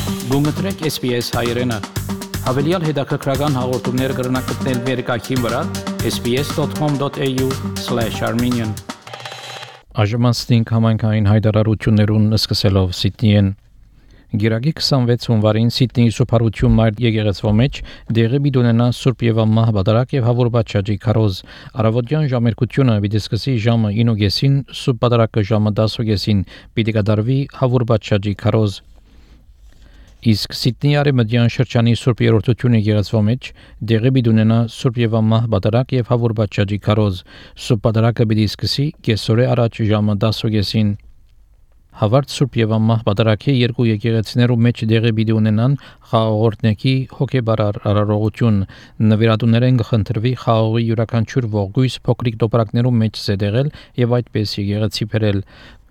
Գումտրեք SPS հայերեն։ Հավելյալ հետաքրքրական հաղորդումներ կգրնակցնել վերկայքին վրա sbs.com.au/armenian Ajmansting համայնքային հայտարարություններուն սկսելով Սիդնիեն Գիրագի 26 հունվարին Սիդնեի սուպարություն մայր եկեղեցվո մեջ դեղի բիդունենա Սուրբ եւ Ամահ բադարակ եւ Հավուր բաչաջի քարոզ Արավոտյան ժամերկությունը պիտի սկսի ժամը 9:00-ին Սուրբ բադարակը ժամը 10:00-ին պիտի կդարվի Հավուր բաչաջի քարոզ Իսկ Սիդնեի արևմտյան շրջանի Սուրբ երրորդությունը եկեղեցվո մեջ դեղի բիդունենա Սուրբ եւ Ամահ բադարակ եւ Հավուր բաչաջի քարոզ Սուրբ բադարակը պիտի սկսի կեսօրե առաջ ժամը 10:00-ին Հավարտ Սուրբ եւ Ամահ բադարակի երկու եկեղեցիներու մեջ դեղի պիտի ունենան խաղաղորդնեկի հոգեբարար արարողություն նվիրատուներեն կխնդրվի խաղողի յուրաքանչյուր ողգույզ փոքրիկ տոպրակներու մեջ զետեղել եւ այդպես եկեղեցի բերել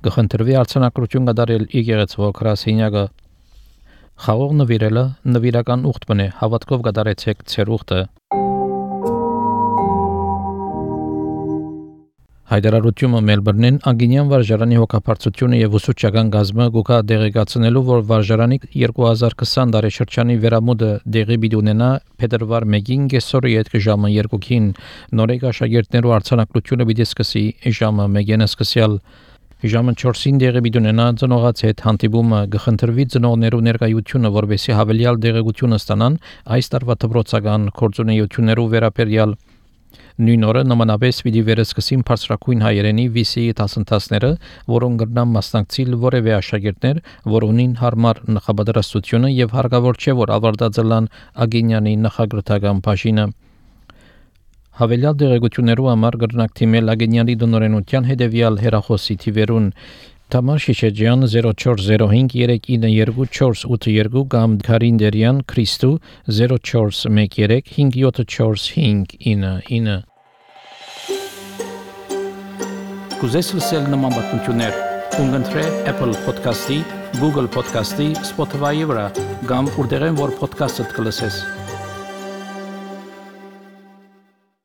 կխնդրվի արցանակրություն կատարել եկեղեցվո քրասենյակը Խաղող նվիրելը նվիրական ուխտ բնե հավատքով կատարեցեք ձեր ուխտը Հայդարարությունը Մելբուրնին անգինյան վարժարանի հոգապարծությունը եւ ուսուցչական գազմը գուկա դեղեկացնելու որ վարժարանի 2020 տարեշրջանի վերամուտը դեղի պիտի ունենա փետրվար 1-ին կեսօրի հետ ժամը 2-ին նորեկ աշակերտներու արցանակրությունը պիտի սկսի ժամը 1-ին սկսյալ Ժամը 4-ին դեղի պիտի ունենա ծնողաց հետ հանդիպումը կխնդրվի ծնողներու ներկայությունը որովհետեւ հավելյալ դեղեցություն ստանան այս տարվա դպրոցական գործունեություններու վերաբերյալ Նույն օրը նմանապես պիտի վերսկսին բարձրակույն հայերենի VC դասընթացները, որոնք կրնան մասնակցել որևէ աշակերտներ, որ ունին հարմար նախապատրաստությունը եւ հարկավոր չէ որ ավարտածելան ագինյանի նախագրթական բաժինը Հավելյալ դեղեցություններու համար կրնակ թիմել ագինյանի դոնորենության հետեւյալ հեռախոսի թիվերուն Թամար Շիշեջյան 0405392482 կամ Քարինդերյան Քրիստու 0413574599 Կուզես լսել նման բանություններ Կընտրե Apple Podcast-ի, Google Podcast-ի, Spotify-ի վրա կամ որտեղեն որ podcast-ը կլսես